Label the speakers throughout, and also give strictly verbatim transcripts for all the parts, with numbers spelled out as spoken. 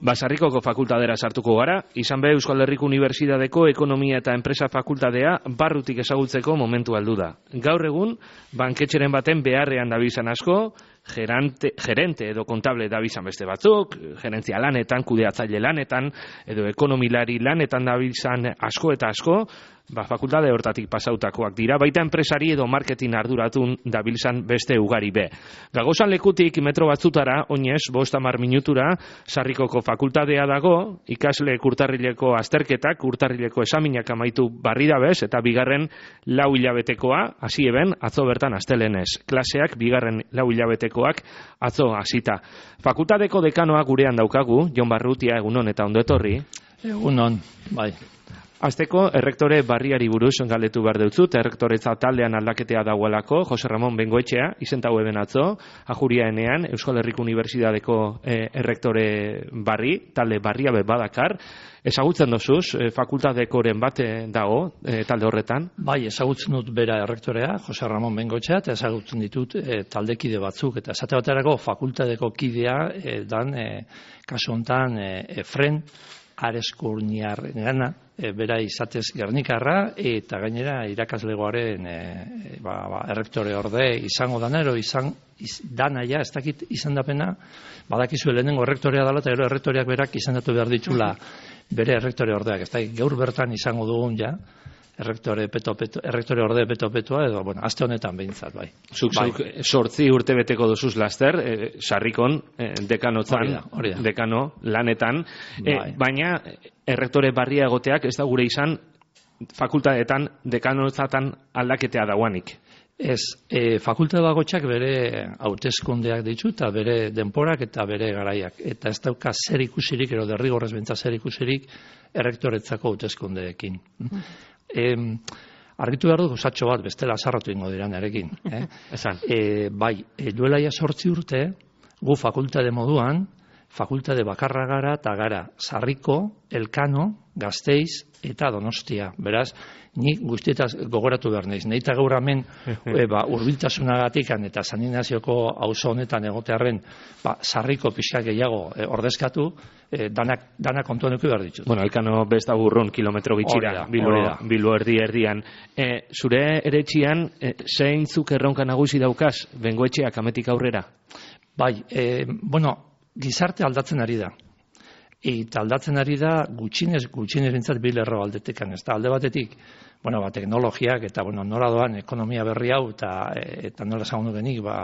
Speaker 1: Basarrikoko fakultadera sartuko gara, izan be Euskal Herriko Unibertsitateko Ekonomia eta Enpresa Fakultadea barrutik ezagutzeko momentu aldu da. Gaur egun, banketxeren baten beharrean dabilzan asko, gerante, gerente edo kontable dabilzan beste batzuk, gerentzia lanetan, kudeatzaile lanetan, edo ekonomilari lanetan dabilzan asko eta asko, ba, fakultade hortatik pasautakoak dira, baita enpresari edo marketing arduratun dabilzan beste ugari be. Gagozan lekutik metro batzutara, oinez, bost hamar minutura, Sarrikoko fakultadea dago, ikasle urtarrileko azterketak, urtarrileko esaminak amaitu barri dabez, eta bigarren lau hilabetekoa, hasi eben, atzo bertan astelenez. Klaseak bigarren lau hilabetekoak atzo hasita. Fakultadeko dekanoa gurean daukagu, Jon Barrutia, egunon eta ondo etorri.
Speaker 2: Egunon, bai.
Speaker 1: Azteko, errektore barriari buruz galdetu behar deutzut, errektoretza taldean aldaketea dagoelako, Jose Ramon Bengoetxea, izentau eben atzo, ajuria enean, Euskal Herriko Unibertsitateko eh, errektore barri, talde barria be badakar, ezagutzen dozuz, eh, fakultatekoren bat eh, dago, eh, talde horretan?
Speaker 2: Bai, ezagutzen dut bera errektorea, Jose Ramon Bengoetxea, eta ezagutzen ditut eh, taldekide batzuk, eta esate baterako fakultateko kidea, eh, dan, eh, kasu honetan, eh, Efren, Areskurniar gana, e, bera izatez Gernikarra, eta gainera irakaslegoaren e, ba, ba, errektore orde izango danero, izan iz, danaia, ez dakit izan dapena, badakizu lehenengo errektorea dela, eta gero errektoreak berak izendatu behar ditula bere errektore ordeak, ez da, gaur bertan izango dugun ja, errektore peto, peto, errektore orde peto-petoa, edo, bueno, aste honetan behintzat, bai.
Speaker 1: Zuk,
Speaker 2: bai.
Speaker 1: zuk, sortzi urte beteko dozuz laster, eh, Sarrikon, eh, dekanotzan,
Speaker 2: hori da, hori da.
Speaker 1: dekano, lanetan, eh,
Speaker 2: Bai.
Speaker 1: baina errektore barria egoteak ez da gure izan fakultatetan, dekanotzatan aldaketea dauanik.
Speaker 2: Ez, e, fakultate bakoitzak bere hauteskundeak ditu eta bere denporak eta bere garaiak. Eta ez dauka zer ikusirik, ero derrigorrez bentsa zer ikusirik, errektoretzako hauteskundeekin. E, argitu behar dut osatxo bat, bestela sarratu ingo dira nerekin. Eh?
Speaker 1: Esan.
Speaker 2: E, bai, e, duela ja sortzi urte, gu fakultate moduan, fakultate bakarra gara eta gara Sarriko, Elkano, Gasteiz eta Donostia. Beraz, ni guztietaz gogoratu behar naiz. Neita gaur hemen e, ba, urbiltasunagatik eta saninazioko auzo honetan egotearren ba, Sarriko pixka gehiago e, ordezkatu, e, danak, danak kontuan eduki behar ditut.
Speaker 1: Bueno, Elkano besta burrun kilometro bitxira, Bilbo, Bilbo erdi erdian. E, zure eretxian, e, zeintzuk erronka nagusi daukaz, Bengoetxeak ametik aurrera?
Speaker 2: Bai, e, bueno, gizarte aldatzen ari da. Eta aldatzen ari da gutxinez, gutxinez bintzat bi lerro aldetekan. Ez da, alde batetik, bueno, ba, teknologiak eta, bueno, nora doan ekonomia berri hau eta, eta nola zagundu genik, ba,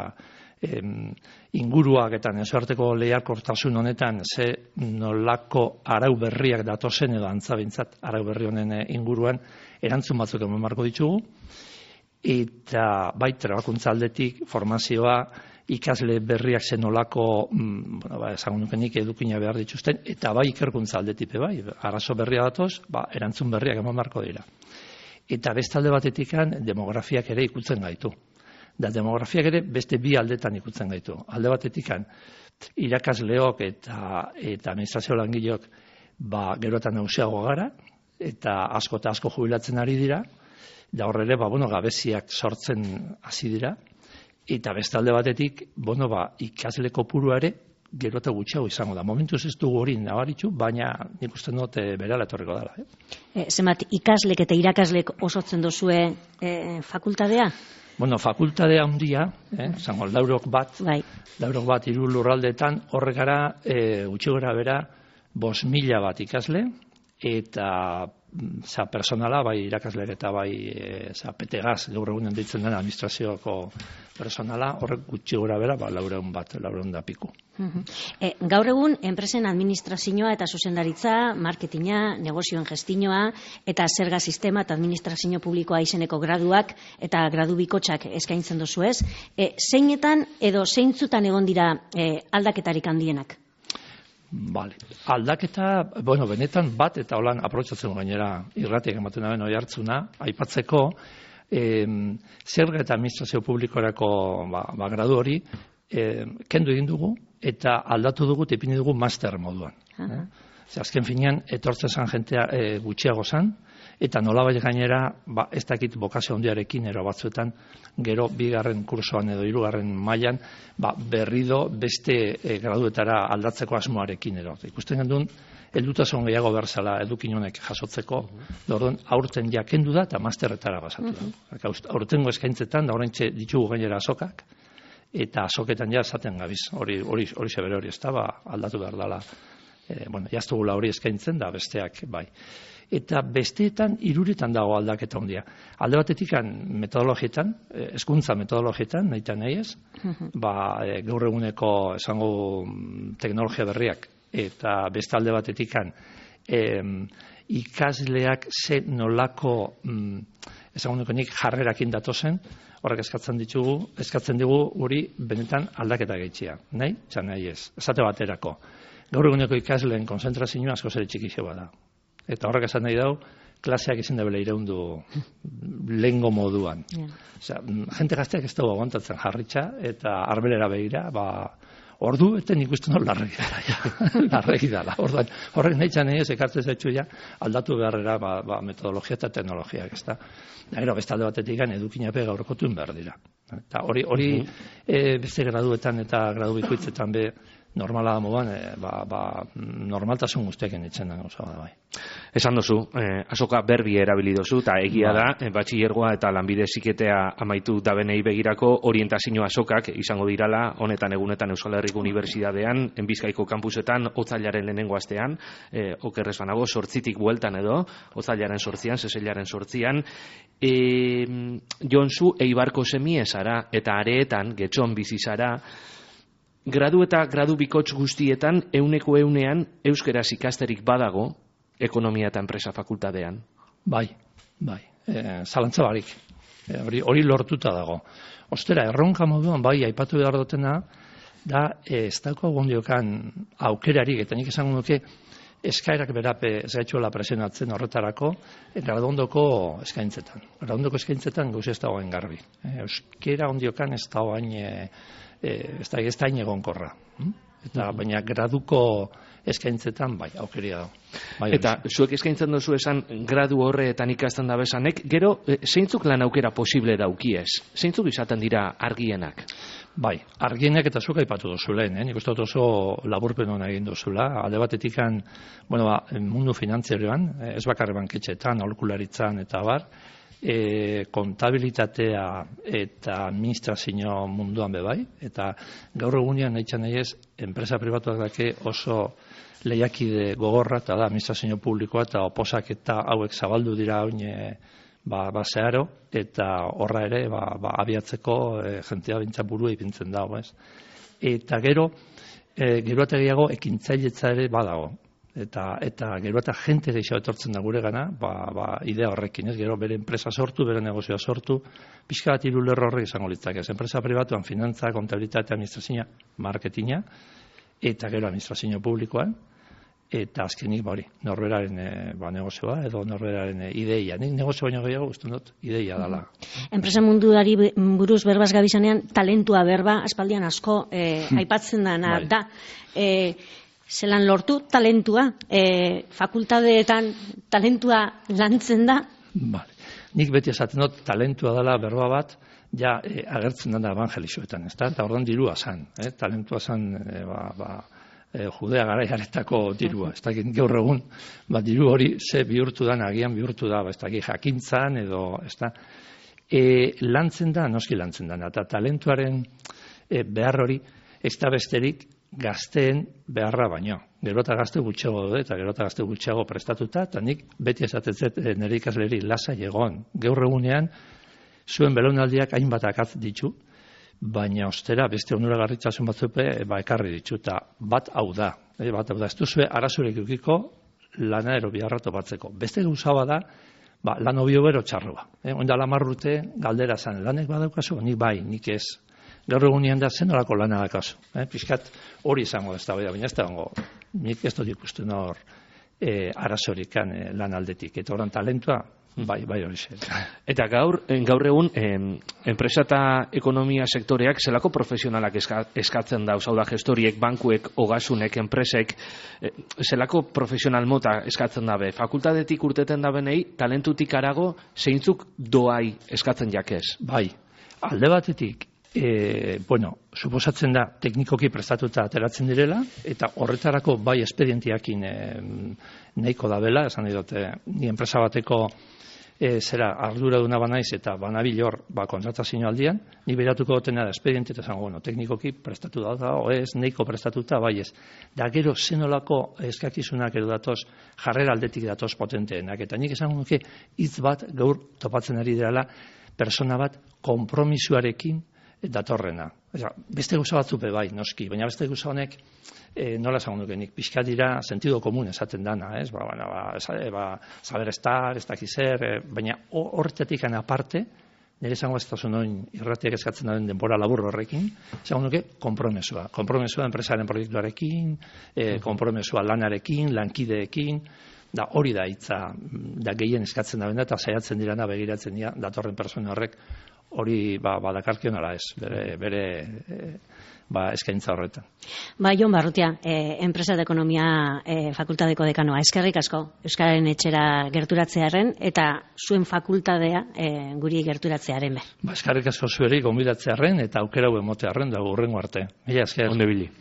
Speaker 2: em, inguruak eta nazioarteko lehiakortasun honetan ze nolako arau berriak datozen edo antza bintzat arau berri honen inguruan erantzun batzuk eman marko ditugu. Eta bai, trebakuntza aldetik, formazioa, ikasle berriak zenolako, mm, bueno, ba, esango nukenik edukina behar dituzten, eta bai ikerkuntza aldetipe bai, arazo berria datoz, ba, erantzun berriak eman marko dira. Eta beste alde batetikan demografiak ere ikutzen gaitu. Da demografiak ere beste bi aldetan ikutzen gaitu. Alde batetikan irakasleok eta, eta administrazio langileok ba, gerotan nagusiago gara, eta asko eta asko jubilatzen ari dira, da horre ere, ba, bueno, gabeziak sortzen hasi dira, eta beste alde batetik, bueno, ba, ikasle kopurua ere gero eta gutxiago izango da. Momentuz ez dugu hori nabaritu, baina nik uste dut e, berala etorriko dela. Eh?
Speaker 3: E, zenbat ikaslek eta irakaslek osotzen dozue e, fakultadea?
Speaker 2: Bueno, fakultadea handia, eh, zango, laurok bat,
Speaker 3: bai.
Speaker 2: laurok bat hiru lurraldetan, horre gara e, gutxi gora bera bost mila bat ikasle, eta za personala, bai irakasleak eta bai e, za petegaz, gaur egunen ditzen den administrazioko personala, horrek gutxi gora bera, ba, laureun bat, laureun da piku.
Speaker 3: Uh-huh. E, gaur egun, enpresen administrazioa eta zuzendaritza, marketinga, negozioen gestinoa, eta zerga sistema eta administrazio publikoa izeneko graduak eta gradu bikotxak eskaintzen dozu ez. E, zeinetan edo zeintzutan egon dira e, aldaketarik handienak?
Speaker 2: Vale. Aldaketa, bueno, benetan bat eta holan aprobetxatzen gainera irratiak ematen daben oi hartzuna, aipatzeko eh, zerga eta administrazio publikorako ba, ba, gradu hori eh, kendu egin dugu eta aldatu dugu eta ipini dugu master moduan. Eh? Azken finean, etortzen zan jentea e, gutxiago zan, eta nolabait gainera, ba, ez dakit bokazio handiarekin ero batzuetan, gero bigarren kursoan edo hirugarren mailan, ba, berrido beste e, graduetara aldatzeko asmoarekin ero. Ikusten gendun, heldutasun gehiago berzala edukin honek jasotzeko, orduan aurten ja kendu da eta masterretara pasatu da. Aurtengo eskaintzetan, da oraintxe ditugu gainera azokak, eta azoketan ja esaten gabiz, hori hori hori sebere hori ez da, ba, aldatu behar dela. E, bueno, jaztugula hori eskaintzen da, besteak, bai. Eta besteetan, hiruretan dago aldaketa handia. Alde batetikan metodologietan, hezkuntza metodologietan, nahi eta nahi ez, ba, e, gaur eguneko esango teknologia berriak, eta beste alde batetikan e, ikasleak ze nolako mm, esango nik jarrerakin datozen, horrek eskatzen ditugu, eskatzen digu hori benetan aldaketa gehitzea. Nahi? Txan nahi ez. Esate baterako. Gaur eguneko ikasleen konzentrazioa asko zere txikixo bada. Eta horrek esan nahi dau, klaseak izin debela ireundu lehengo moduan. Yeah. Osea, jente gazteak ez dago aguantatzen jarritxa, eta arbelera begira, ba, ordu, eta nik uste no, larregi dara, ja. larregi dara. Orduan, horrek nahi txan ez, ekartzen zaitxu ja, aldatu beharrera, ba, ba, metodologia eta teknologiak, ez da. Gero, beste alde batetik gan, edukinape gaurkotuen behar dira. Eta hori, hori uh -huh. e, beste graduetan eta gradu bikoitzetan be, normala da moduan, e, ba, ba, normaltasun guztiaken itzen da gauza da bai.
Speaker 1: Esan dozu, eh, azoka berbi erabili dozu, eta egia ba. da, eh, batxillergoa eta lanbide heziketea amaitu dabenei begirako orientazio azokak izango dirala, honetan egunetan Euskal Herriko Unibertsitatean, Bizkaiko kampusetan, otzailaren lehenengo astean, eh, okerrez banago, sortzitik bueltan edo, otzailaren sortzian, seseilaren sortzian, e, Jonzu Eibarko semie zara, eta areetan, getxon bizi zara, gradu eta gradu bikotx guztietan, euneko eunean, euskeraz ikasterik badago, ekonomia eta enpresa fakultatean.
Speaker 2: Bai, bai, e, zalantza barik. E, hori, hori lortuta dago. Ostera, erronka moduan, bai, aipatu behar dutena, da, e, ez dauko gondiokan aukerarik, eta nik esango nuke, eskaerak berape ez gaitxuela presionatzen horretarako, graduondoko eskaintzetan. Graduondoko eskaintzetan gauz ez dagoen garbi. E, euskera ondiokan ez dagoen e, ez da ez da inegonkorra. Eta baina graduko eskaintzetan bai, aukeria dago. Bai,
Speaker 1: eta zuek eskaintzen duzu esan gradu horretan ikasten da bezanek, gero zeintzuk lan aukera posible daukiez? Zeintzuk izaten dira argienak?
Speaker 2: Bai, argienak eta zuk aipatu duzu lehen, eh? Nik uste dut oso laburpen hona egin duzula. Alde batetikan, bueno, ba, mundu finantzieroan, ez bakarri banketxetan, aholkularitzan eta bar, E, kontabilitatea eta administrazio munduan bebai, eta gaur egunean nahi txan nahi ez, enpresa pribatuak dake oso lehiakide gogorra, eta da administrazio publikoa, eta oposak eta hauek zabaldu dira oin ba, ba zeharo, eta horra ere ba, ba, abiatzeko e, jentea bintza burua ipintzen dago, ez. Eta gero, e, gero eta gehiago ekintzailetza ere badago. Eta, eta gero eta jente gehiago etortzen da gure gana, ba, ba, idea horrekin, ez? Gero bere enpresa sortu, bere negozioa sortu, pixka bat hiru lerro horrek izango litzak, ez? Enpresa pribatuan, finantza, kontabilitate, administrazioa, marketinga, eta gero administrazio publikoan, eta azkenik, ba hori, norberaren e, ba, negozioa, edo norberaren e, ideia. Nik negozio baino gehiago guztun dut, ideia dela.
Speaker 3: Enpresa munduari buruz berbaz gabizanean, talentua berba, aspaldian asko e, aipatzen dana
Speaker 2: bai.
Speaker 3: da. E, Zelan lortu talentua, e, fakultateetan talentua lantzen da?
Speaker 2: Vale. Nik beti esaten dut talentua dela berba bat, ja e, agertzen da evangelixoetan, ez da? Eta orduan dirua zan, eh? Talentua zan e, ba, ba, e, judea garaiaretako dirua, ez da? Gaur egun, ba, diru hori ze bihurtu da, agian bihurtu da, ba, ez da? Jakintzan edo, ez da? E, lantzen da, noski lantzen da, eta talentuaren e, behar hori, ez da besterik, gazteen beharra baino. Gero eta gazte gutxago dut, eta gero eta gazte gutxago prestatuta, eta nik beti esatetzet nire ikasleri lasai egon. Gaur egunean, zuen belaunaldiak hainbat akatz ditu, baina ostera beste onuragarritzasun batzupe ba, ekarri ditu, eta bat hau da. E, bat hau da, ez duzue arazurek eukiko lana ero biharra topatzeko. Beste gauzaba da, ba, lan obio bero txarroa. E, Oinda lamarrute galdera zan, lanek badaukazu, nik bai, nik ez. Gaur egunean da zen horako lana dakazu. Eh? Piskat hori izango ez da, baina ez da ongo. Nik ez dut ikusten hor e, arazorikan e, lan aldetik. Eta horan talentua, bai, bai hori zen.
Speaker 1: Eta gaur, gaur egun, em, enpresa eta ekonomia sektoreak zelako profesionalak eska, eskatzen dauz, hau da gestoriek, bankuek, ogasunek, enpresek, e, zelako profesional mota eskatzen dabe. Fakultatetik urteten dabenei, talentutik arago, zeintzuk doai eskatzen jakez?
Speaker 2: Bai, alde batetik, E, bueno, suposatzen da teknikoki prestatuta ateratzen direla, eta horretarako bai espedientiakin e, nahiko da bela, esan nahi dute, ni enpresa bateko e, zera arduraduna banaiz eta banabil hor ba, kontratazio aldian, ni beratuko dutena da espediente eta zango, bueno, teknikoki prestatu da, da o ez, nahiko prestatuta, bai ez. Da gero zenolako eskakizunak edo datoz, jarrera aldetik datoz potenteenak, eta nik esan nuke hitz bat gaur topatzen ari dela persona bat konpromisoarekin datorrena. Eza, beste gauza batzuk be bai, noski, baina beste gauza honek e, nola esango nuke nik, pixka dira sentido komun esaten dana, ez? Ba, ba, ba, ba, saber estar, ez dakiz zer, e, baina horretatik aparte, nire esango ez da zuen irratiak eskatzen den denbora labur horrekin, esango nuke konpromesua. Konpromesua enpresaren proiektuarekin, e, konpromesua lanarekin, lankideekin, da hori da hitza, da gehien eskatzen da benda, eta saiatzen dirana begiratzen dira datorren persona horrek hori ba, badakarkion ala ez, bere, bere e, ba, eskaintza horretan.
Speaker 3: Ba, Jon Barrutia, e, enpresa de ekonomia e, fakultadeko dekanoa, eskerrik asko, Euskararen etxera gerturatzearen, eta zuen fakultadea e, guri gerturatzearen be.
Speaker 2: Ba, eskerrik asko zueri gonbidatzearen, eta aukera hau emotearen, da hurrengo arte. Mila esker.
Speaker 1: Onde bili.